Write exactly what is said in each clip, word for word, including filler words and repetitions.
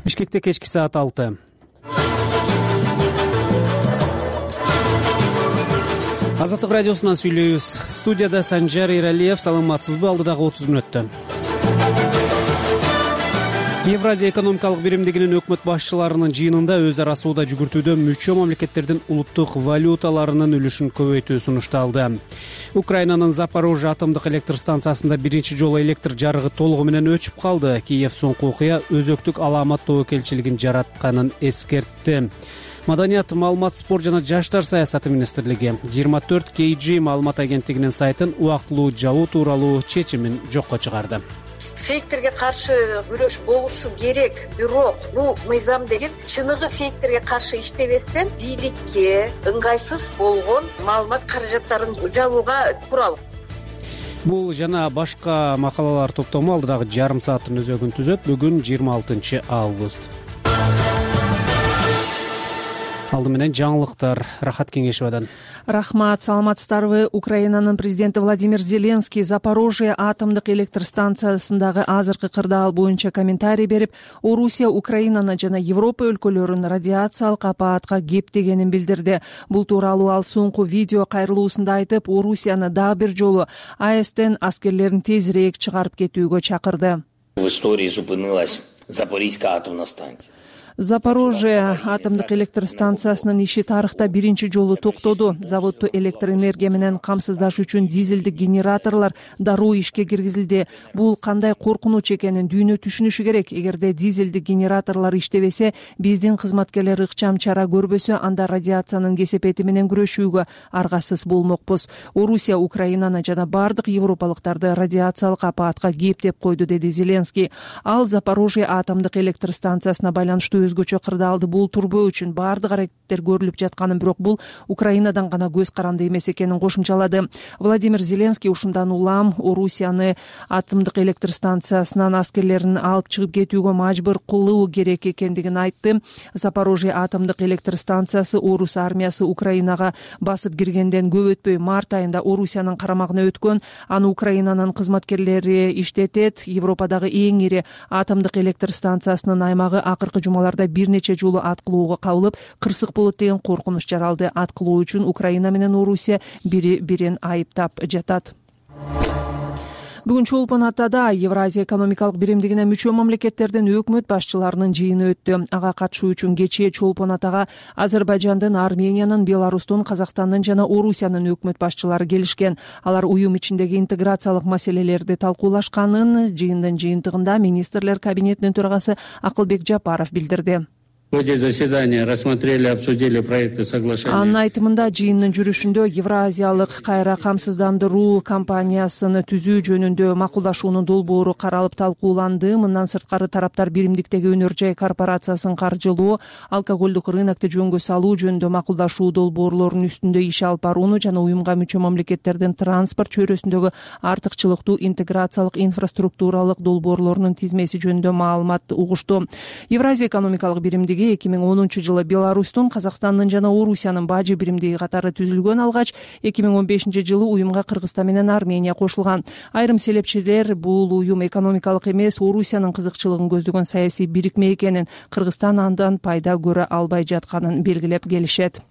Бишкекте кечки саат алты. Азаттык радиосунан сүйлөйбүз. Студияда Санжар Иралиев. Саламатсызбы? Алдыдагы отуз мүнөттө Евразия экономикалык биримдигинин өкмөт башчыларынын жыйынында өз ара сууда жүгүртүүдө мүчө мамлекеттердин улуттук валюталарынын үлүшүн көбөйтүү сунушталды. Украинанын Запорожье атомдук электр станциясында биринчи жолу электр жарыгы толугу менен өчүп калды. Киев соңку окуя өзөктүк аламат тобокелчилигин жаратканын эскертти. Маданият, маалымат, спорт жана жаштар саясаты министрлиги жыйырма төрт кей джи маалымат агенттигинин сайтын убактылуу жабуу тууралуу чечимин жокко чыгарды. Фейктерге каршы күрөш болушу керек, бирок бул мыйзам деген чыныгы фейктерге каршы иштебестен бийликке ыңгайсыз болгон маалымат каражаттарын жабууга курал. Бул жана башка макалалар топтому алдыдагы жарым сааттын өзөгүн түзөт. Бүгүн жыйырма алтынчы август. Алды менен жаңылыктар. Рахат Кеңешевадан. Рахмат, саламатсыздарбы? Украинанын президенти Владимир Зеленский Запорожье атомдук электр станциясындагы азыркы кырдаал боюнча комментарий берип, Орусия Украинаны жана Европа өлкөлөрүн радиациялык апаатка кептегенин билдирди. Бул тууралуу ал соңку видео кайрылуусунда айтып, Орусияны дагы бир жолу А Эстен аскерлерин тезирээк чыгарып кетүүгө чакырды. В истории зупинилась Запорожская атомная станция. Запорожье атомдук электр станциясынын иши тарыхта биринчи жолу токтоду. Заводду электр энергия менен камсыздаш үчүн дизелдик генераторлор дароо ишке киргизилди. Бул кандай коркунуч экенин дүйнө түшүнүшү керек. Эгерде дизелдик генераторлор иштебесе, биздин кызматкерлер ыкчам чара көрбөсө, анда радиациянын кесепети менен күрөшүүгө аргасыз болмокпуз. Орусия Украинаны жана бардык европалыктарды радиациялык апаатка кептеп койду, деди Зеленский. Ал Запорожье атомдук электр станциясына байланыштуу өзгөчө кырдаалды бултурбоо үчүн баардык аракеттер көрүлүп жатканын, бирок бул Украинадан гана көз каранды эмес экенин кошумчалады. Владимир Зеленский ушундан улам Орусияны атомдук электр станциясынан аскерлерин алып чыгып кетүүгө мажбур кылуу керек экендигин айтты. Запорожье атомдук электр станциясы Орус армиясы Украинага басып киргенден көп өтпөй март айында Орусиянын карамагына өткөн. Аны Украинанын кызматкерлери иштетет. Европадагы эң ири атомдук электр станциясынын аймагы акыркы жумалар бир нече жолу аткылууга кабылып, кырсык болот деген коркунуч жаралды. Аткылуу үчүн Украина менен Орусия бири бирин айыптап жатат. Бүгүн Чолпон Атада Евразия экономикалык биримдигине мүчө мамлекеттердин өкмөт башчыларынын жыйыны өттү. Ага катышуу үчүн кечээ Чолпон Атага Азербайжандын, Армениянын, Беларустун, Казакстандын жана Орусиянын өкмөт башчылары келишкен. Алар уюм ичиндеги интеграциялык маселелерди талкуулашканын жыйындын жыйынтыгында министрлер кабинетинин төрагасы Акылбек Жапаров билдирди. В ходе заседания рассмотрели и обсудили проекты соглашения. Анын айтымында жыйындын жүрүшүндө Евразиялык кайра камсыздандыруу компаниясын түзүү жөнүндө макулдашуунун долбоору каралып талкууланды. Мындан сырткары тараптар биримдиктеги өнөр жай корпорациясын каржылоо, алкоголдук рынокты жөнгө салуу жөнүндө макулдашуу долбоорлорунун үстүндө иш алып барууну жана уюмга мүчө мамлекеттердин транспорт чөйрөсүндөгү артыкчылыктуу интеграциялык инфраструктуралык долбоорлорунун тизмеси жөнүндө маалымат угушту. Евразия экономикалык биримдиги эки миң онунчу жылы Беларустун, Казакстандын жана Орусиянын бажы биримдиги катары түзүлгөн алгач, эки миң он бешинчи жылы уюмга Кыргызстан менен Армения кошулган. Айрым селепчилер бул уюм экономикалык эмес, Орусиянын кызыкчылыгын көздөгөн саясий бирикме экенин, Кыргызстан андан пайда көрө албай жатканын белгилеп келишет.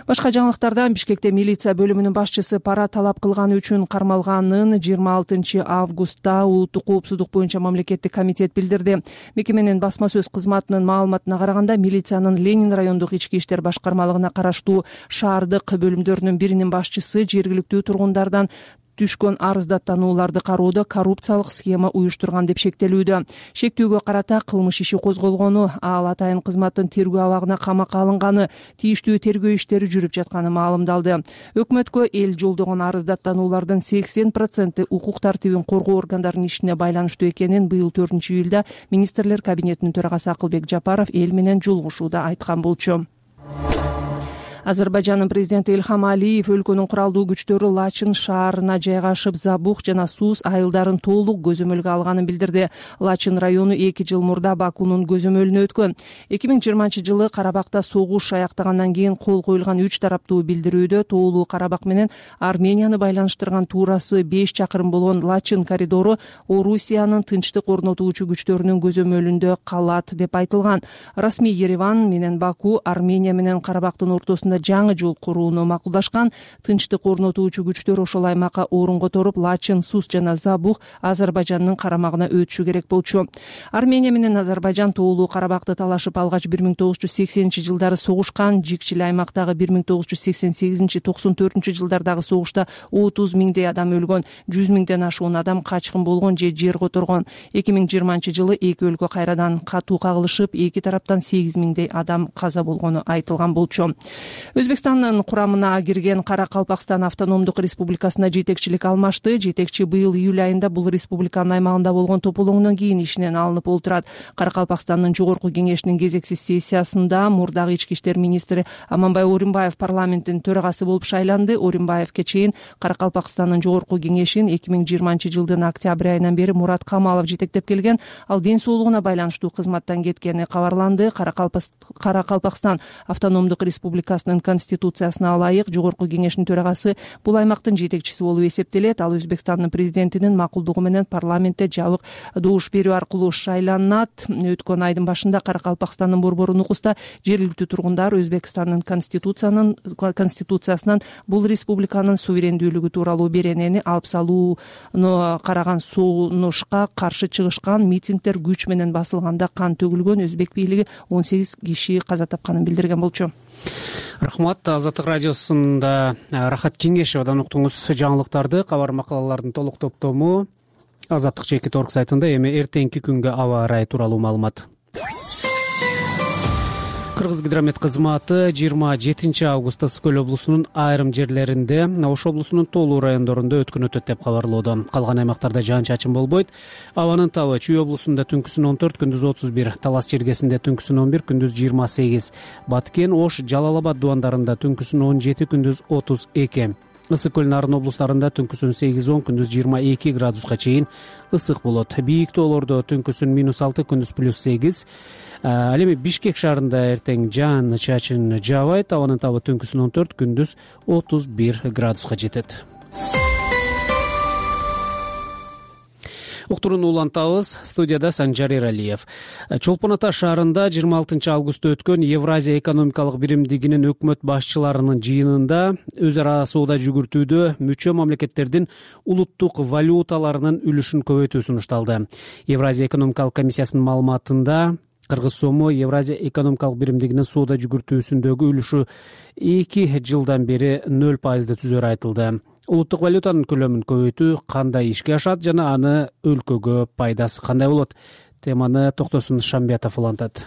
Башка жаңылыктардан Бишкекте милиция бөлүмүнүн башчысы пара талап кылганы үчүн кармалганын жыйырма алтынчы августта улуттук коопсуздук боюнча мамлекеттик комитет билдирди. Мекеменин басма сөз кызматынын маалыматына караганда, милициянын Ленин райондук ички иштер башкармалыгына караштуу шаардык бөлүмдөрүнүн биринин башчысы жергиликтүү тургундардан түшкөн арыздаттанууларды кароодо коррупциялык схема уюштурган деп шектелүүдө. Шектүүгө карата кылмыш иши козголгону, ал атайын кызматтын тергөө абагына камакка алынганы, тийиштүү тергөө иштери жүрүп жатканы маалымдалды. Өкмөткө эл жолдогон арыздаттануулардын сексен проценти укук тартибин коргоо органдарынын ишине байланыштуу экенин быйыл төртүнчү июлда министрлер кабинетинин төрагасы Акылбек Жапаров эл менен жолугушууда айткан болчу. Азербайжандын президенти Илхам Алиев өлкөнүн куралдуу күчтөрү Лачин шаарына жайгашып, Забух жана Сус айылдарын толук көзөмөлгө алганын билдирди. Лачин району эки жыл мурда Бакунун көзөмөлүнө өткөн. эки миң жыйырманчы жылы Карабакта согуш аяктагандан кийин кол коюлган үч тараптуу билдирүүдө тоолуу Карабак менен Арменияны байланыштырган туурасы беш чакырым болгон Лачин коридору Орусиянын тынчтык орнотуучу күчтөрүнүн көзөмөлүндө калат деп айтылган. Расмий Ереван менен Баку Армения менен Карабактын ортосунда жаңы жол курууну макулдашкан. Тынчтык орнотуучу күчтөр ошол аймакка орун которуп, Лачин, Сус жана Забух Азербайжандын карамагына өтүшү керек болчу. Армения менен Азербайжан тоолуу Карабакты талашып алгач бир миң тогуз жүз сексенинчи жылдары согушкан. Жикчил аймактагы бир миң тогуз жүз сексен сегизинчи токсон төртүнчү жылдардагы согушта отуз миңдей адам өлгөн, жүз миңден ашуун адам качкын болгон же жер которгон. эки миң жыйырманчы жылы эки өлкө кайрадан катуу кагылышып, эки тараптан сегиз миңдей адам каза болгону айтылган болчу. Өзбекстандын курамына кирген Кара-Калпакстан автономдук республикасына жетекчилик алмашты. Жетекчи быйыл июль айында бул республиканын аймагында болгон тополоңдон кийин ишинен алынып олтурат. Кара-Калпакстандын жогорку кеңешинин кезексиз сессиясында мурдагы ички иштер министри Аманбай Оримбаев парламенттин төрагасы болуп шайланды. Оримбаевке чейин Кара-Калпакстандын жогорку кеңешин эки миң жыйырманчы жылдын октябрь айынан бери Мурат Камалов жетектеп келген. Ал ден соолугуна байланыштуу кызматтан кеткени кабарланды. Кара-Калпакстан автономдук республикасынын конституциясына ылайык жогорку кеңештин төрагасы бул аймактын жетекчиси болуп эсептелет. Ал Өзбекстандын президентинин макулдугу менен парламентте жабык добуш берүү аркылуу шайланат. Өткөн айдын башында Кара-Калпакстандын борбору Нукуста жергиликтүү тургундар Өзбекстандын конституциянын конституциясынан бул республиканын суверендүүлүгү тууралуу беренени алып салууну караган сунушка каршы чыгышкан. Митингдер күч менен басылганда кан төгүлгөн. Өзбек бийлиги он сегиз киши каза тапканын билдирген болчу. Рахмат. Азаттык радиосунда Рахат Кеңешевадан уктуңуз жаңылыктарды. Кабар макалалардын толук топтому Азаттык чекит точка орг сайтында. Эми эртеңки күнгө аба ырайы тууралуу маалымат. Кыргызгидромет кызматы жыйырма жетинчи августта Ысык-Көл облусунун айрым жерлеринде, Ош облусунун толуу райондорунда өткөн өтөт деп кабарлоодо. Калган аймактарда жаан-чачын болбойт. Абанын табы Чүй облусунда түнкүсүн он төрт, күндүз отуз бир, Талас Чергесинде түнкүсүн он бир, күндүз жыйырма сегиз, Баткен, Ош, Жалал Абад дубандарында түнкүсүн он жети, күндүз отуз эки. Ысык-Көл, Нарын облустарында түнкүсүн сегиз он, күндүз жыйырма эки градуска чейин ысык болот. Бийик тоолордо түнкүсүн минус алты, күндүз плюс сегиз. Ал эми Бишкек шаарында эртең жаан чачын жаабайт. Абанын табы түнкүсүн он төрт, күндүз отуз бир градуска жетет. Уктурууну улантабыз. Студияда Санжар Эралиев. Чолпон Ата шаарында жыйырма алтынчы августта өткөн Евразия экономикалык биримдигинин өкмөт башчыларынын жыйынында өз ара соода жүгүртүүдө мүчө мамлекеттердин улуттук валюталарынын үлүшүн көбөйтүү сунушталды. Евразия экономикалык комиссиясынын маалыматында Кыргыз сому Евразия экономикалык биримдигинин соода жүгүртүүсүндөгү үлүшү эки жылдан бери нөл пайызды түзөрү айтылды. Улуттук валютанын көлөмүн көбөйтүү кандай ишке ашат жана аны өлкөгө пайдасы кандай болот? Теманы Токтосун Шамбиятов улантат.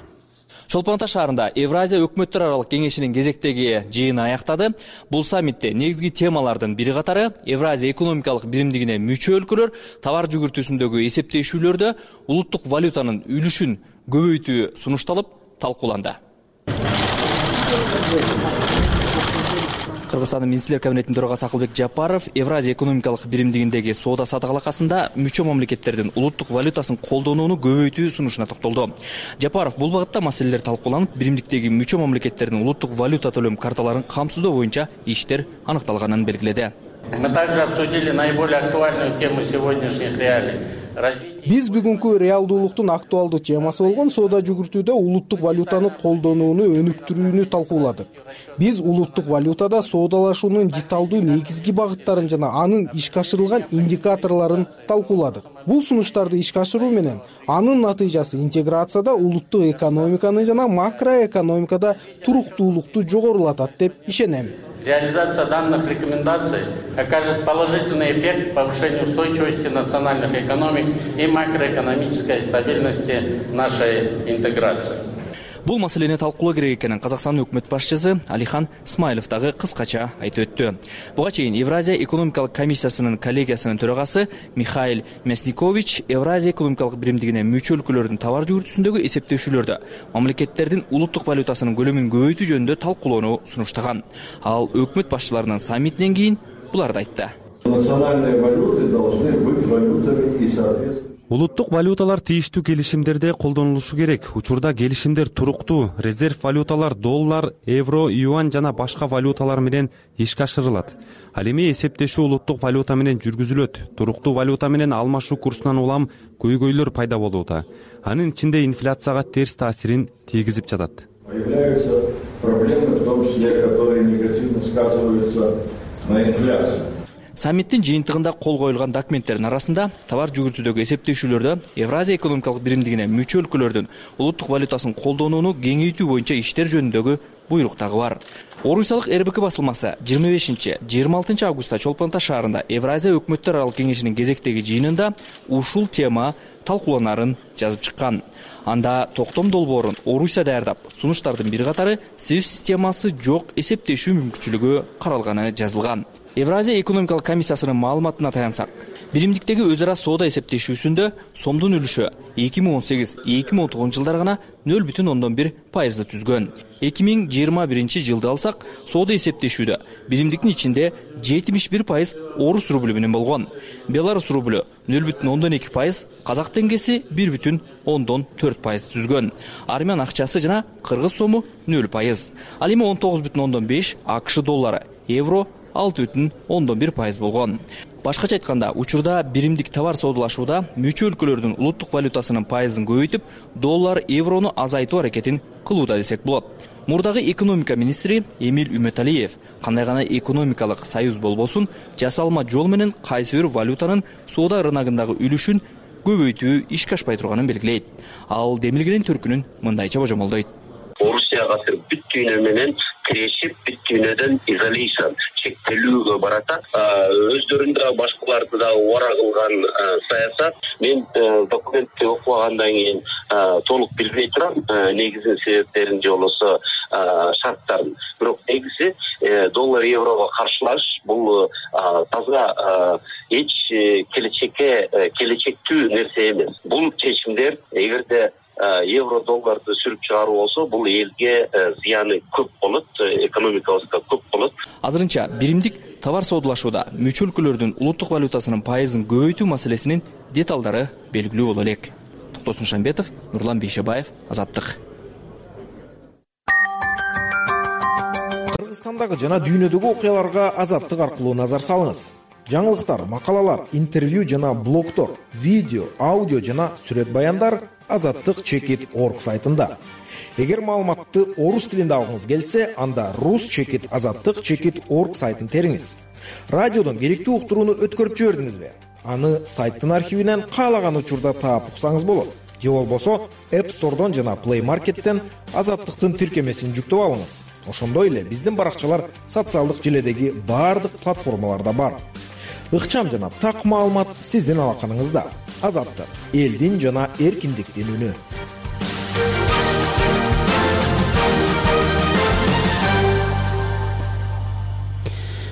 Чолпон Ата шаарында Евразия өкмөттөр аралык кеңешинин кезектеги жыйыны аяктады. Бул саммитте негизги темалардын бири катары Евразия экономикалык биримдигине мүчө өлкөлөр товар жүгүртүүсүндөгү эсептешүүлөрдө улуттук валютанын үлүшүн көбөйтүү сунушталып, талкууланды. Кыргызстандын министрлер кабинетинин төрагасы Акылбек Жапаров Евразия экономикалык биримдигиндеги соода саттык алакасында мүчө мамлекеттердин улуттук валютасын колдонууну көбөйтүү сунушуна токтолду. Жапаров бул багытта маселелер талкууланып, биримдиктеги мүчө мамлекеттердин улуттук валюта төлөм карталарын камсыздоо боюнча иштер аныкталганын белгиледи. Мы также обсудили наиболее актуальную тему сегодняшних реалий. Биз бүгүнкү реалдуулуктун актуалдуу темасы болгон соода жүгүртүүдө улуттук валютаны колдонууну өнүктүрүүнү талкууладык. Биз улуттук валютада соодалашуунун деталдуу негизги багыттарын жана анын ишке ашырылган индикаторлорун талкууладык. Бул сунуштарды ишке ашыруу менен анын натыйжасы интеграцияда улуттук экономиканы жана макроэкономикада туруктуулукту жогорулатат деп ишенем. Реализация данных рекомендаций окажет положительный эффект повышению устойчивости национальных экономик и макроэкономической стабильности нашей интеграции. Бул маселени талкуулоо керек экенин Казакстандын өкмөт башчысы Алихан Смайлов дагы кыскача айтып өттү. Буга чейин Евразия экономикалык комиссиясынын коллегиясынын төрагасы Михаил Мясникович Евразия экономикалык биримдигине мүчө өлкөлөрдүн товар жүгүртүүсүндөгү эсептешүүлөрдө мамлекеттердин улуттук валютасынын көлөмүн көбөйтүү жөнүндө талкуулоону сунуштаган. Ал өкмөт башчыларынын саммитинен кийин буларды айтты. Национальные валюты должны быть валютами и соответственно. Улуттук валюталар тийиштүү келишимдерде колдонулушу керек. Учурда келишимдер туруктуу. Резерв валюталар доллар, евро, юань жана башка валюталар менен ишке ашырылат. Ал эми эсептешүү улуттук валюта менен жүргүзүлөт. Туруктуу валюта менен алмашуу курсунан улам көйгөйлөр пайда болууда. Анын ичинде инфляцияга терс таасирин тийгизип жатат. Появляются проблемы, в том числе, которые негативно сказываются на инфляции. Саммиттин жыйынтыгында кол коюлган документтердин арасында товар жүгүртүүдөгү эсептешүүлөрдө Евразия экономикалык биримдигине мүчө өлкөлөрдүн улуттук валютасын колдонууну кеңейтүү боюнча иштер жөнүндөгү буйрук дагы бар. Орусиялык эр бэ ка басылмасы жыйырма бешинчи жыйырма алтынчы августта Чолпон Ата шаарында Евразия өкмөттөр аралык кеңешинин кезектеги жыйынында ушул тема талкууланарын жазып чыккан. Анда токтом долбоорун Орусия даярдап, сунуштардын бир катары свифт системасы жок эсептешүү мүмкүнчүлүгү каралганы жазылган. Евразия экономикалык комиссиясынын маалыматына таянсак, биримдиктеги өз ара соода эсептешүүсүндө сомдун үлүшү эки миң он сегиз эки миң он тогузунчу жылдары гана нөл бүтүн ондон бир пайызды түзгөн. эки миң жыйырма биринчи жылды алсак, соода эсептешүүдө биримдиктин ичинде жетимиш бир пайыз орус рублю менен болгон. Беларус рублю нөл бүтүн ондон эки пайыз, казак теңгеси бир бүтүн ондон төрт пайызды түзгөн. Армян акчасы жана кыргыз сому нөл пайыз. Ал эми он тогуз бүтүн ондон беш АКШ доллары, евро алты бүтүн ондон бир пайыз болгон. Башкача айтканда, учурда биримдик товар соодалашууда мүчө өлкөлөрдүн улуттук валютасынын пайызын көбөйтүп, доллар, еврону азайтуу аракетин кылууда десек болот. Мурдагы экономика министри Эмиль Үмөталиев кандай гана экономикалык союз болбосун, жасалма жол менен кайсы бир валютанын соода рыногундагы үлүшүн көбөйтүү ишке ашпай турганын белгилейт. Ал демилгенин төркүнүн мындайча божомолдойт. Орусия азыр бүттүүнү менен тирешип, бүттүүнөдөн изоляция чектелүүгө баратат. Өздөрүндө башкаларды да убара кылган саясат. Мен документти окугандан кийин толук билбей турам негизин себептерин же болбосо шарттарын. Бирок негизи доллар еврого каршылаш бул таза эч келечекке келечектүү нерсе эмес. Бул чечимдер эгерде евро долларды сүрүп чыгаруу болсо, бул элге зыяны көп болот, экономикабызга көп болот. Азырынча биримдик товар соодалашууда мүчө өлкөлөрдүн улуттук валютасынын пайызын көбөйтүү маселесинин деталдары белгилүү боло элек. Токтосун Шамбетов, Нурлан Бейшебаев, Азаттык. Кыргызстандагы жана дүйнөдөгү окуяларга Азаттык аркылуу назар салыңыз. Жаңылыктар, макалалар, интервью жана блогтор, видео, аудио жана сүрөт баяндар азаттык чекит точка орг сайтында. Эгер маалыматты орус тилинде алгыңыз келсе, анда рус чекит азаттык чекит точка орг сайтын териңиз. Радиодон керектүү уктурууну өткөрүп жибердиңизби? Аны сайттын архивинен каалаган учурда таап уксаңыз болот. Же болбосо App Store'дон жана Play Market'тен азаттыктын тиркемесин жүктөп алыңыз. Ошондой эле биздин баракчалар социалдык желедеги баардык платформаларда бар. Ыкчам жана так маалымат сиздин алаканыңызда. Азаттык, элдин жана эркиндиктин үнү.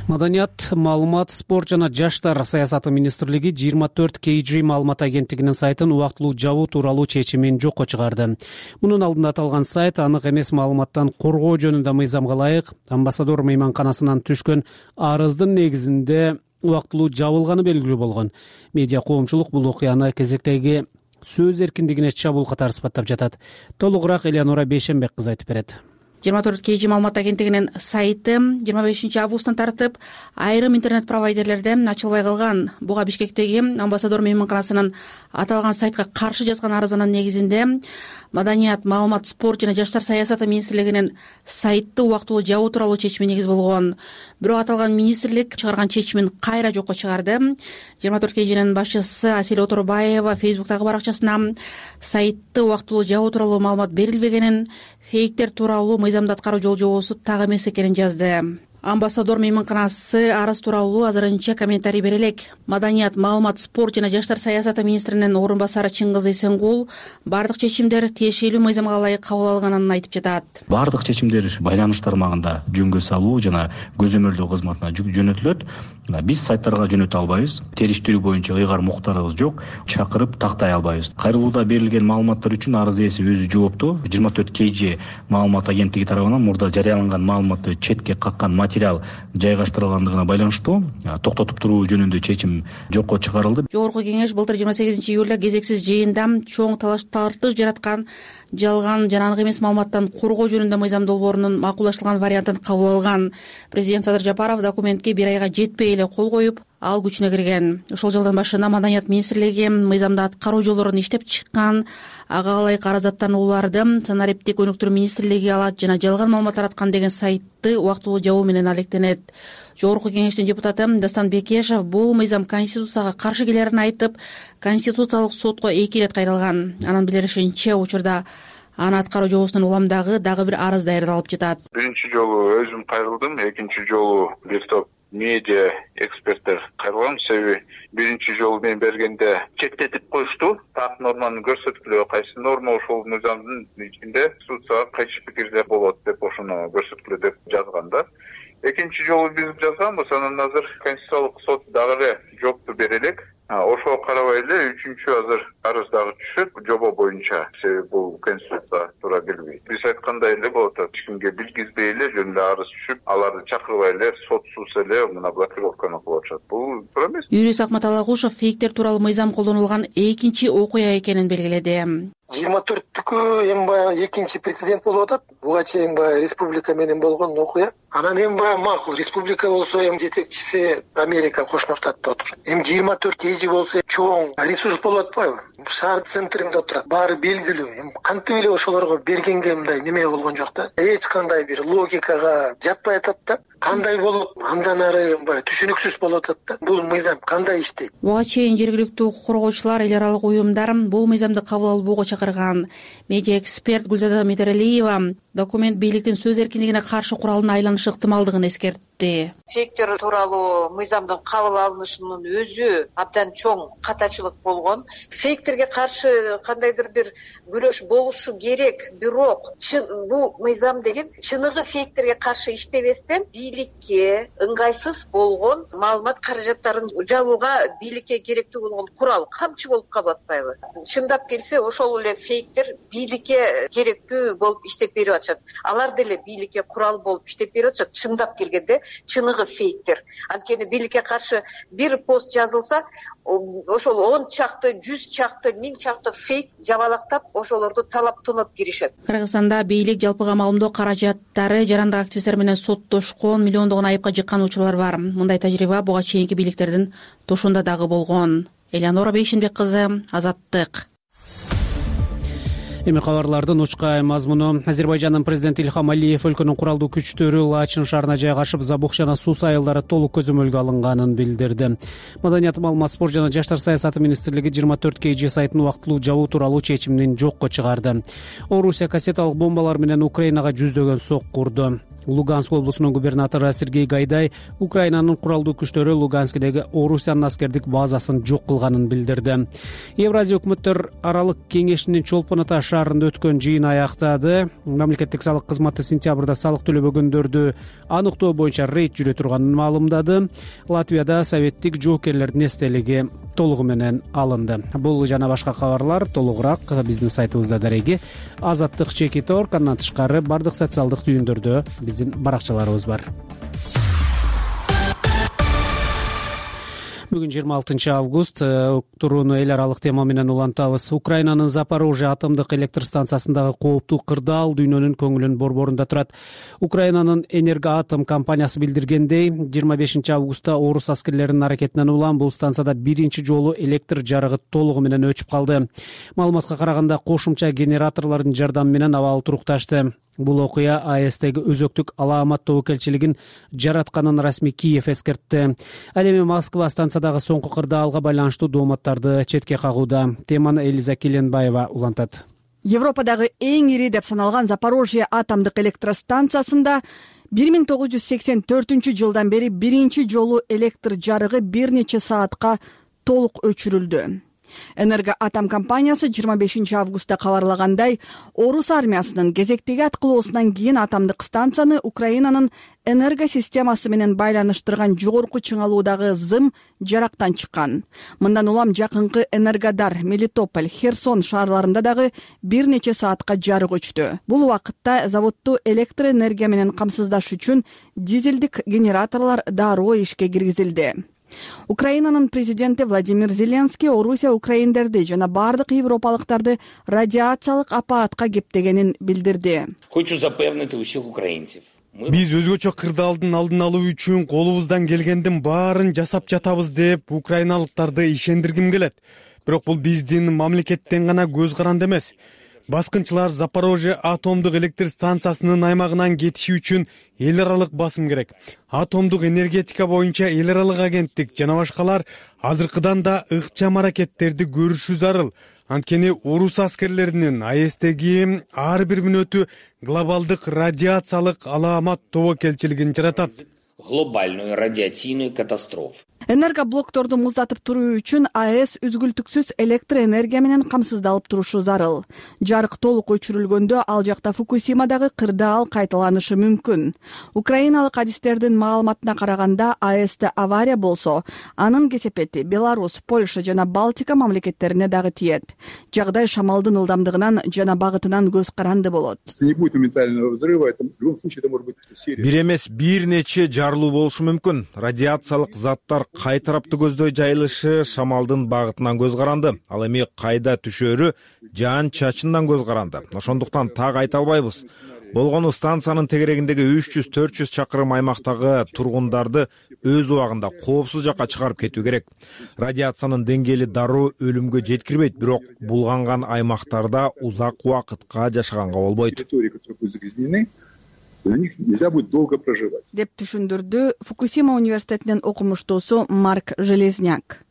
Маданият, маалымат, спорт жана жаштар саясаты министрлиги жыйырма төрт кей джи маалымат агенттигинин сайтын убактылуу жабуу тууралуу чечимин жокко чыгарды. Мунун алдында аталган сайт анык эмес маалыматтан коргоо жөнүндө мыйзамга ылайык амбассадор мейманканасынан түшкөн арыздын негизинде убактылуу жабылганы белгилүү болгон. Медиа коомчулук бул окуяны кезектеги сөз эркиндигине чабуул катары сыпаттап жатат. Толугураак Элеонора Бейшенбек кызы айтып берет. жыйырма төрт кей джи маалымат агенттигинин сайты жыйырма бешинчи августтан тартып айрым интернет провайдерлерде ачылбай калган. Буга Бишкектеги амбассадор мейманканасынын аталган сайтка каршы жазган арызынын негизинде Маданият, маалымат, спорт жана жаштар саясаты министрлигинин сайтты убактылуу жабуу тууралуу чечими негиз болгон. Бирок аталган министрлик чыгарган чечимин кайра жокко чыгарды. жыйырма төрт кей джинин башчысы Асель Оторбаева Фейсбуктагы баракчасына сайтты убактылуу жабуу тууралуу маалымат берилбегенин, фейктер тууралуу мыйзамда аткаруу жол жобосу так эмес экенин жазды. амбассадор мейманканасы арыз тууралуу азырынча комментарий бере элек. Маданият, маалымат, спорт жана жаштар саясаты министринин орун басары Чыңгыз Эсенгул бардык чечимдер тиешелүү мыйзамга ылайык кабыл алынганын айтып жатат. Бардык чечимдер байланыш тармагында жөнгө салуу жана көзөмөлдөө кызматына жөнөтүлөт. Биз сайттарга жөнөтө албайбыз. Териштирүү боюнча ыйгар муктарыбыз жок. Чакырып тактай албайбыз. Кайрылууда берилген маалыматтар үчүн арыз ээси өзү жооптуу. жыйырма төрт кей же маалымат агенттиги тарабынан мурда жарыяланган маалыматты четке каккан материал жайгаштырылгандыгына байланыштуу токтотуп туруу жөнүндө чечим жокко чыгарылды. Жогорку кеңеш былтыр жыйырма сегизинчи июлда кезексиз жыйында чоң талаш тартыш жараткан жалган жана анык эмес маалыматтан коргоо жөнүндө мыйзам долбоорунун макулдаштырылган вариантын кабыл алган. Президент Садыр Жапаров документке бир айга жетпей эле кол коюп, ал күчүнө кирген. Ошол жылдын башында Маданият министрлиги мыйзамда аткаруу жолдорун иштеп чыккан, ага ылайык арыздаттанууларды санариптик өнүктүрүү министрлиги алат жана жалган маалымат тараткан деген сайтты убактылуу жабуу менен алектенет. Жогорку кеңештин депутаты Дастан Бекешев бул мыйзам конституцияга каршы келерин айтып, конституциялык сотко эки ирет кайрылган. Анын билдиришинче, учурда аны аткаруу жобосунун уламдагы дагы бир арыз даярдалып жатат. Биринчи жолу өзүм кайрылдым, экинчи жолу бир топ медиа эксперттер кайрылган. Себеби биринчи жолу мен бергенде чектетип коюшту. Так норманы көрсөткүлө, кайсы норма ошол мыйзамдын ичинде конституцияга кайшы пикирде болот деп ошону көрсөткүлө деп жазганда. Экинчи жолу биз жазганбыз, анан азыр конституциялык сот дагы эле жоопту бере элек. Ошого карабай эле үчүнчү азыр арыз дагы түшөт жобо боюнча. Себеби бул конституцияга туура келбейт. Биз айткандай эле болот, эч кимге билгизбей эле жөн эле арыз түшүп, аларды чакырбай эле сотсуз эле мына блокировканы кылып атышат. Бул туура эмес. Юрист Акмат Алагушев фейктер тууралуу мыйзам колдонулган экинчи окуя экенин белгиледи. жыйырма төрттүкү эми баягы экинчи прецедент болуп атат. Буга чейин баягы республика менен болгон окуя. Анан эми баягы макул, республика болсо эми жетекчиси Америка Кошмо Штатта отурат. Эми жыйырма төрт кей болсо чоң ресурс болуп атпайбы? Шаар центринде отурат. Баары белгилүү. Эми кантип эле ошолорго бергенге мындай неме болгон жок да. Эч кандай бир логикага жатпай атат да. Кандай болуп, андан ары баягы түшүнүксүз болуп атат да. Бул мыйзам кандай иштейт? Буга чейин жергиликтүү коргоочулар, эл аралык уюмдар бул мыйзамды кабыл албоого чакырган. Медиа эксперт Гүлзада Метералиева документ бийликтин сөз эркиндигине каршы куралына айланышы ыктымалдыгын эскертти. Фейктер тууралуу мыйзамдын кабыл алынышынын өзү абдан чоң катачылык болгон. Фейктерге каршы кандайдыр бир күрөш болушу керек, бирок бул мыйзам деген чыныгы фейктерге каршы иштебестен бийликке ыңгайсыз болгон маалымат каражаттарын жабууга бийликке керектүү болгон курал, камчы болуп калып атпайбы? Чындап келсе, ошол эле фейктер бийликке керектүү болуп иштеп берип атышат. Алар деле бийликке курал болуп иштеп берип атышат. Чындап келгенде чыныгы фейктер. Анткени бийликке каршы бир пост жазылса, ошол он чакты, жүз чакты, миң чакты фейк жабалактап, ошолорду талап тонап киришет. Кыргызстанда бийлик жалпыга маалымдоо каражаттары жарандык активисттер менен соттошкон, миллиондогон айыпка жыккан учурлар бар. Мындай тажрыйба буга чейинки бийликтердин тошунда дагы болгон. Элеонора Бейшенбек кызы, Азаттык. Эми кабарлардын учкай мазмуну. Азербайжандын президенти Илхам Алиев өлкөнүн куралдуу күчтөрү Лачин шаарына жайгашып, Забух жана Сус айылдары толук көзөмөлгө алынганын билдирди. Маданият, маалымат, спорт жана жаштар саясаты министрлиги жыйырма төрт кей же сайтын убактылуу жабуу тууралуу чечимин жокко чыгарды. Орусия кассеталык бомбалар менен Украинага жүздөгөн сок курду. Луганск облусунун губернатору Сергей Гайдай Украинанын куралдуу күчтөрү Луганскдеги Орусиянын аскердик базасын жок кылганын билдирди. Евразия өкмөттөр аралык кеңешинин Чолпон Ата шаарында өткөн жыйын аяктады. Мамлекеттик салык кызматы сентябрда салык төлөбөгөндөрдү аныктоо боюнча рейд жүрө турганын маалымдады. Латвияда советтик жоокерлердин эстелиги толугу менен алынды. Бул жана башка кабарлар толугураак биздин сайтыбызда дареги азаттык чекит точка орг. Андан тышкары бардык социалдык түйүндөрдө биздин баракчаларыбыз бар. Бүгүн жыйырма алтынчы август, турууну эл аралык тема менен улантабыз. Украинанын Запорожье атомдук электр станциясындагы кооптуу кырдаал дүйнөнүн көңүлүн борборунда турат. Украинанын Энергоатом компаниясы билдиргендей, жыйырма бешинчи августта орус аскерлеринин аракетинен улам бул станцияда биринчи жолу электр жарыгы толугу менен өчүп калды. Маалыматка караганда кошумча генераторлордун жардамы менен абал турукташты. Бул окуя АЭСтеги өзөктүк алаамат тобокелчилигин жаратканын расмий Киев эскертти. Ал эми Москва станциядагы соңку кырдаалга байланыштуу дооматтарды четке кагууда. Теманы Элиза Келенбаева улантат. Европадагы эң ири деп саналган Запорожье атомдук электростанциясында бир миң тогуз жүз сексен төртүнчү жылдан бери биринчи жолу электр жарыгы бир нече саатка толук өчүрүлдү. Энергоатом компаниясы жыйырма бешинчи августта кабарлагандай, орус армиясынын кезектеги аткылоосунан кийин атомдук станцияны Украинанын энергосистемасы менен байланыштырган жогорку чыңалуудагы зым жарактан чыккан. Мындан улам жакынкы Энергодар, Мелитополь, Херсон шаарларында дагы бир нече саатка жарык өчтү. Бул убакытта заводду электр энергия менен камсыздаш үчүн дизелдик генераторлор дароо ишке киргизилди. Украинанын президенти Владимир Зеленский Орусия украиндерди жана бардык европалыктарды радиациялык апаатка кептегенин билдирди. Хочу запевнити усіх українців. Биз өзгөчө кырдаалдын алдын алуу үчүн колубуздан келгендин баарын жасап жатабыз деп украиналыктарды ишендиргим келет. Бирок бул биздин мамлекеттен гана көз каранды эмес. Баскынчылар Запорожье атомдук электр станциясынын аймагынан кетиши үчүн эл аралык басым керек. Атомдук энергетика боюнча эл аралык агенттик жана башкалар азыркыдан да ыкчам аракеттерди көрүшү зарыл. Анткени орус аскерлеринин АЭСтеги ар бир мүнөтү глобалдык радиациялык алаамат тобокелчилигин жаратат. Глобальную радиацийную катастрофу. Энергоблокторду муздатып туруу үчүн АЭС үзгүлтүксүз электр энергия менен камсыздалып турушу зарыл. Жарык толук өчүрүлгөндө ал жакта Фукусимадагы кырдаал кайталанышы мүмкүн. Украиналык адистердин маалыматына караганда, АЭСте авария болсо, анын кесепети Беларусь, Польша жана Балтика мамлекеттерине дагы тиет. Жагдай шамалдын ылдамдыгынан жана багытынан көз каранды болот. Бир эмес бир нече жарылуу болушу мүмкүн. Радиациялык заттар кай тарапты көздөй жайылышы шамалдын багытынан көз каранды. Ал эми кайда түшөрү жаан чачындан көз каранды. Ошондуктан так айта албайбыз. Болгону станциянын тегерегиндеги үч жүз төрт жүз чакырым аймактагы тургундарды өз убагында коопсуз жакка чыгарып кетүү керек. Радиациянын деңгээли дароо өлүмгө жеткирбейт, бирок булганган аймактарда узак убакытка жашаганга болбойт. За них нельзя будет долго проживать. Деп түшүндүрдү Фукусима университетинин окумуштуусу Марк Железняк.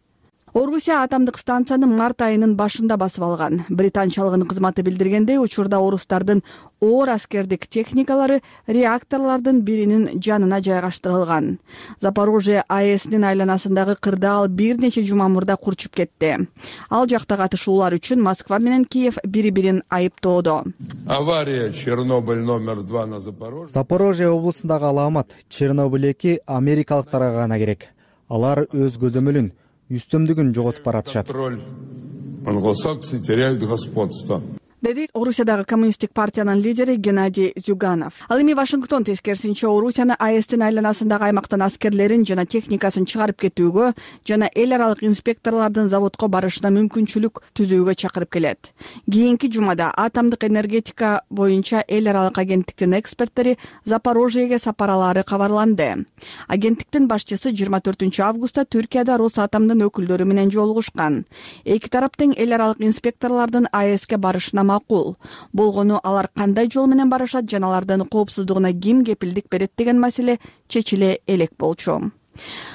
Орусия атомдук станцияны март айынын башында басып алган. Британчалыгынын кызматы билдиргендей, учурда орустардын оор аскердик техникалары реакторлордун биринин жанына жайгаштырылган. Запорожье АЭСинин айланасындагы кырдаал бир нече жума мурда курчуп кетти. Ал жакта катышуулар үчүн Москва менен Киев бири-бирин айыптоодо. Авария Чернобыль номер два на Запорожье. Запорожье облусундагы алаамат Чернобыль эки америкалыктарга гана керек. Алар өз көзөмөлүн, үстөмдүгүн жоготуп баратышат. Англосаксы теряют господство. Деди Орусиядагы коммунисттик партиянын лидери Геннадий Зюганов. Ал эми Вашингтон тескерисинче Орусияны АЭСтин айланасындагы аймактан аскерлерин жана техникасын чыгарып кетүүгө жана эл аралык инспекторлордун заводко барышына мүмкүнчүлүк түзүүгө чакырып келет. Кийинки жумада атомдук энергетика боюнча эл аралык агенттиктин эксперттери Запорожьеге сапаралары кабарланды. Агенттиктин башчысы жыйырма төртүнчү августта Түркияда Росатомдун өкүлдөрү менен жолугушкан. Эки тарап тең эл аралык инспекторлордун АЭСке барышына макул. Болгону алар кандай жол менен барышат жана алардын коопсуздугуна ким кепилдик берет деген маселе чечиле элек болчу.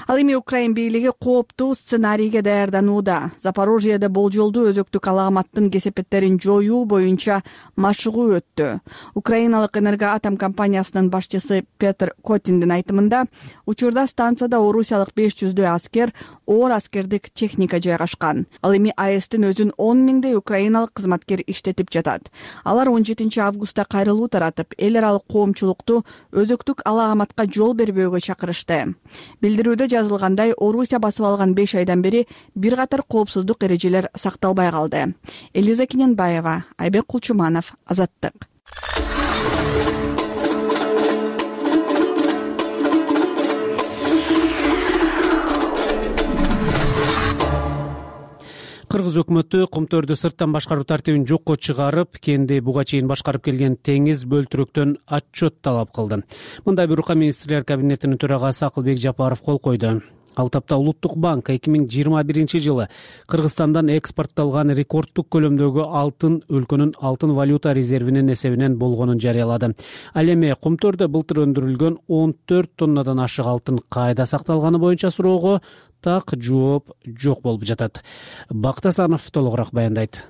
Ал эми Украин бийлиги кооптуу сценарийге даярданууда. Запорожьеде болжолдуу өзөктүк алааматтын кесепеттерин жоюу боюнча машыгуу өттү. Украиналык Энергоатом компаниясынын башчысы Петр Котиндин айтымында, учурда станцияда орусиялык беш жүздөй аскер, оор аскердик техника жайгашкан. Ал эми АЭСтин өзүн он миңдей украиналык кызматкер иштетип жатат. Алар он жетинчи августта кайрылуу таратып, эл аралык коомчулукту өзөктүк алааматка жол бербөөгө чакырышты. Билдирүүдө жазылгандай, Орусия басып алган беш айдан бери бир катар коопсуздук эрежелер сакталбай калды. Элиза Киненбаева, Айбек Кулчуманов, Азаттык. Кыргыз өкмөтү Кумтөрдү сырттан башкаруу тартибин жокко чыгарып, кенди буга чейин башкарып келген теңиз бөлтүрөктөн отчет талап кылды. Мындай буйрукка министрлер кабинетинин төрагасы Акылбек Жапаров кол койду. Ал тапта Улуттук банк эки миң жыйырма биринчи жылы Кыргызстандан экспортталган рекордтук көлөмдөгү алтын өлкөнүн алтын валюта резервинин эсебинен болгонун жарыялады. Ал эми Кумтөрдө былтыр өндүрүлгөн он төрт тоннадан ашык алтын кайда сакталганы боюнча суроого так жооп жок болуп жатат. Бактасанов толугураак баяндайт.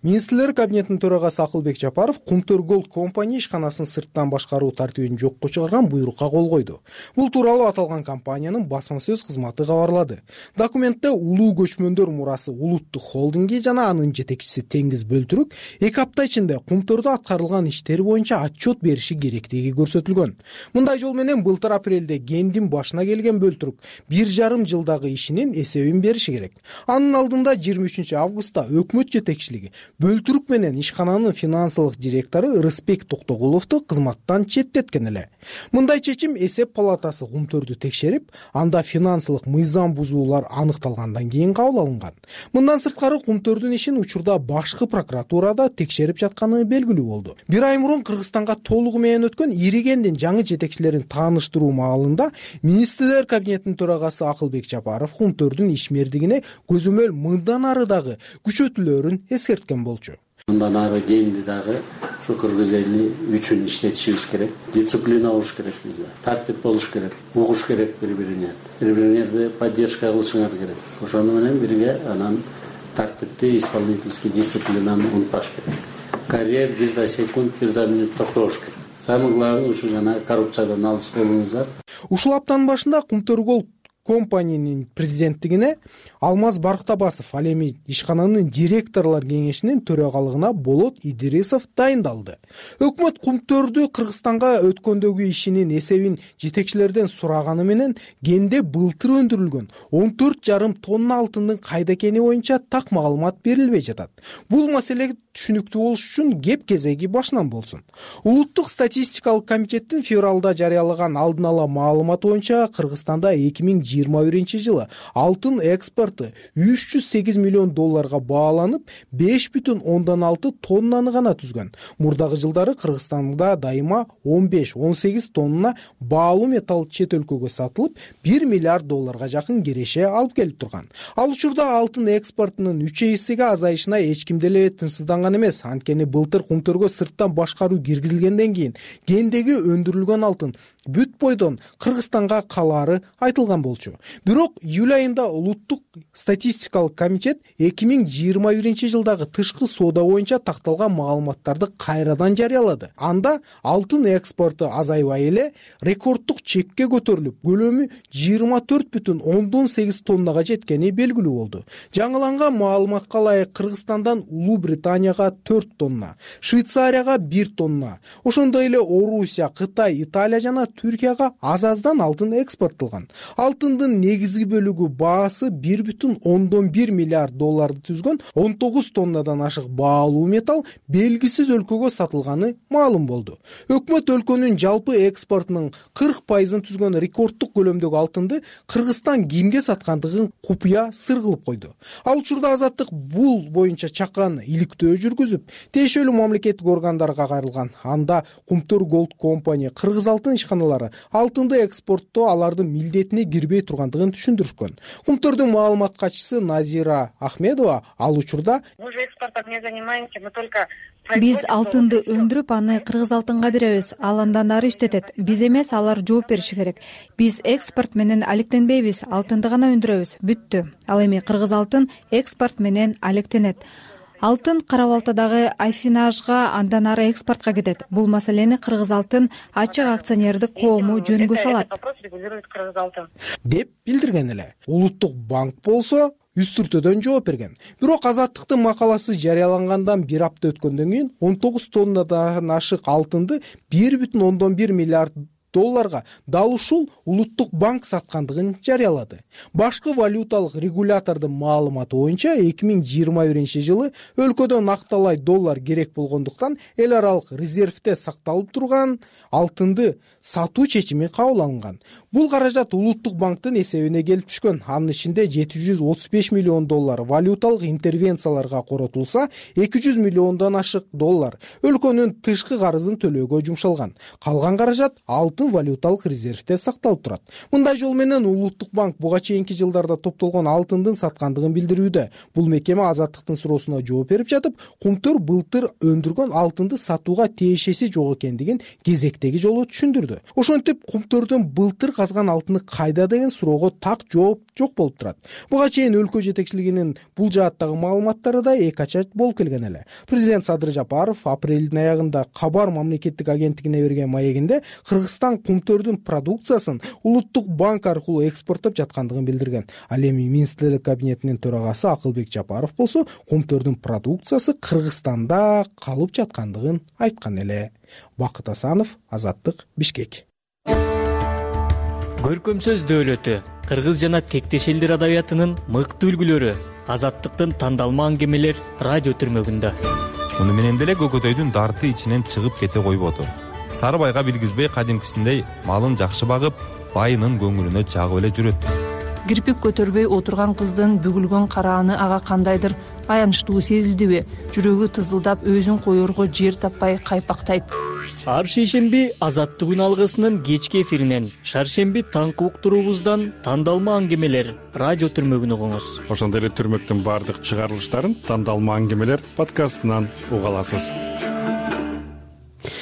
Министрлер кабинетинин төрагасы Акылбек Жапаров Кумтөр Голд компания ишканасын сырттан башкаруу тартибин жокко чыгарган буйрукка кол койду. Бул тууралуу аталган компаниянын басма сөз кызматы кабарлады. Документте улуу көчмөндөр мурасы улуттук холдинги жана анын жетекчиси Теңиз Бөлтүрүк эки апта ичинде Кумтөрдө аткарылган иштери боюнча отчет бериши керектиги көрсөтүлгөн. Мындай жол менен былтыр апрелде кендин башына келген Бөлтүрүк бир жарым жылдагы ишинин эсебин бериши керек. Анын алдында жыйырма үчүнчү августта өкмөт жетекчилиги Бөлтүрүк менен ишкананын финансылык директору Рыспек Токтогуловду кызматтан четтеткен эле. Мындай чечим эсеп палатасы Кумтөрдү текшерип, анда финансылык мыйзам бузуулар аныкталгандан кийин кабыл алынган. Мындан сырткары Кумтөрдүн ишин учурда башкы прокуратурада текшерип жатканы белгилүү болду. Бир ай мурун Кыргызстанга толугу менен өткөн ири кендин жаңы жетекчилерин тааныштыруу маалында Министрлер кабинетинин төрагасы Акылбек Жапаров Кумтөрдүн ишмердигине көзөмөл мындан ары дагы күчөтүлөрүн эскерткен болчу. Мындан ары кенди дагы ушу кыргыз эли үчүн иштетишибиз керек. Дисциплина болуш керек бизде. Тартип болуш керек. Угуш керек бири-бирине. Бири-бириңерди поддержка кылышыңар керек. Ошону менен бирге анан тартипти, исполнительский дисциплинаны унутпаш керек. Карьер бир да секунд, бир да минут токтош керек. Самый главный ушу жана коррупциядан алыс болуңуздар. Ушул аптанын башында Кумтөр Голд компаниянын президенттигине Алмаз Барктабасов, ал эми ишкананын директорлор кеңешинин төрагалыгына Болот Идрисов дайындалды. Өкмөт Кумтөрдү Кыргызстанга өткөндөгү ишинин эсебин жетекчилерден сураганы менен кенде былтыр өндүрүлгөн он төрт жарым тонна алтындын кайда экени боюнча так маалымат берилбей жатат. Бул маселе түшүнүктүү болуш үчүн кеп кезеги башынан болсун. Улуттук статистикалык комитеттин февралда жарыялаган алдын ала маалыматы боюнча Кыргызстанда эки миң жыйырма биринчи жылы алтын экспорту үч жүз сегиз миллион долларга бааланып, беш бүтүн ондон алты тоннаны гана түзгөн. Мурдагы жылдары Кыргызстанда дайыма он беш он сегиз тонна баалуу металл чет өлкөгө сатылып, бир миллиард долларга жакын киреше алып келип турган. Ал учурда алтын экспортунун үч эсеге азайышына эч ким деле тынчсызданган эмес. Анткени былтыр Кумтөргө сырттан башкаруу киргизилгенден кийин кендеги өндүрүлгөн алтын бүт бойдон Кыргызстанга калаары айтылган болчу. Бирок июль айында улуттук статистикалык комитет эки миң жыйырма биринчи жылдагы тышкы соода боюнча такталган маалыматтарды кайрадан жарыялады. Анда алтын экспорту азайбай эле рекорддук чекке көтөрүлүп, көлөмү жыйырма төрт бүтүн ондон сегиз тоннага жеткени белгилүү болду. Жаңыланган маалыматка ылайык Кыргызстандан Улуу Британияга төрт тонна, Швейцарияга бир тонна, ошондой эле Орусия, Кытай, Италия жана Түркияга аз-аздан алтын экспорттолгон. Алтындын негизги бөлүгү баасы бир бүтүн ондон бир миллиард долларды түзгөн он тогуз тоннадан ашык баалуу металл белгисиз өлкөгө сатылганы маалым болду. Өкмөт өлкөнүн жалпы экспортунун кырк пайызын түзгөн рекорддук көлөмдөгү алтынды Кыргызстан кимге саткандыгын купуя сыр кылып койду. Ал учурда Азаттык бул боюнча чакан иликтөө жүргүзүп, тиешелүү мамлекеттик органдарга кайрылган. Анда Кумтөр Голд компания кыргыз алтын ишканалары алтынды экспорттоо алардын милдетине кирбей тургандыгын түшүндүрүшкөн. Кумтөрдүн маалымат катчысы Назира Ахмедова ал учурда биз алтынды өндүрүп, аны кыргыз алтынга беребиз. Ал андан ары иштетет. Биз эмес, алар жооп бериши керек. Биз экспорт менен алектенбейбиз, алтынды гана өндүрөбүз. Бүттү. Ал эми кыргыз алтын экспорт менен алектенет. Алтын Кара Балтадагы Айфинажга, андан ары экспортко кетет. Бул маселени Кыргыз алтын ачык акционердик коому жөнгө салат, деп билдирген эле. Улуттук банк болсо үстүртөдөн жооп берген. Бирок Азаттыктын макаласы жарыялангандан бир апта өткөндөн кийин он тогуз тоннадан ашык алтынды бир бүтүн ондон бир миллиард долларга дал ушул улуттук банк саткандыгын жарыялады. Башкы валюталык регулятордун маалыматы боюнча эки миң жыйырма биринчи жылы өлкөдө накталай доллар керек болгондуктан эл аралык резервде сакталып турган алтынды сатуу чечими кабыл алынган. Бул каражат улуттук банктын эсебине келип түшкөн. Анын ичинде жети жүз отуз беш миллион доллар валюталык интервенцияларга коротулса, эки жүз миллиондон ашык доллар өлкөнүн тышкы карызын төлөөгө жумшалган. Калган каражат алтын алтын валюталык резервде сакталып турат. Мындай жол менен Улуттук банк буга чейинки жылдарда топтолгон алтындын саткандыгын билдирүүдө. Бул мекеме Азаттыктын суроосуна жооп берип жатып, Кумтөр былтыр өндүргөн алтынды сатууга тиешеси жок экендигин кезектеги жолу түшүндүрдү. Ошентип Кумтөрдөн былтыр казган алтыны кайда деген суроого так жооп жок болуп турат. Буга чейин өлкө жетекчилигинин бул жааттагы маалыматтары да эки ача болуп келген эле. Президент Садыр Жапаров апрелдин аягында Кабар мамлекеттик агенттигине берген маегинде Кыргызстан Кумтөрдүн продукциясын Улуттук банк аркылуу экспорттоп жаткандыгын билдирген. Ал эми министрлер кабинетинин төрагасы Акылбек Жапаров болсо Кумтөрдүн продукциясы Кыргызстанда калып жаткандыгын айткан эле. Бакыт Асанов, Азаттык, Бишкек. Көркөм сөз дөөлөтү, кыргыз жана тектеш элдер адабиятынын мыкты үлгүлөрү, Азаттыктын тандалма аңгемелер радио түрмөгүндө. Муну менен деле көкөтөйдүн дарты ичинен чыгып кете койбоду. Сарыбайга билгизбей кадимкисиндей малын жакшы багып, байынын көңүлүнө жагып эле жүрөт. Кирпик көтөрбөй отурган кыздын бүгүлгөн карааны ага кандайдыр аянычтуу сезилдиби? Жүрөгү тызылдап, өзүн коерго жер таппай кайпактайт. Ар шейшемби Азаттык алгысынын кечки эфиринен, шаршемби таңкы уктуруубуздан тандалма аңгемелер радио түрмөгүн угуңуз. Ошондой эле түрмөктүн баардык чыгарылыштарын тандалма аңгемелер подкастынан уга аласыз.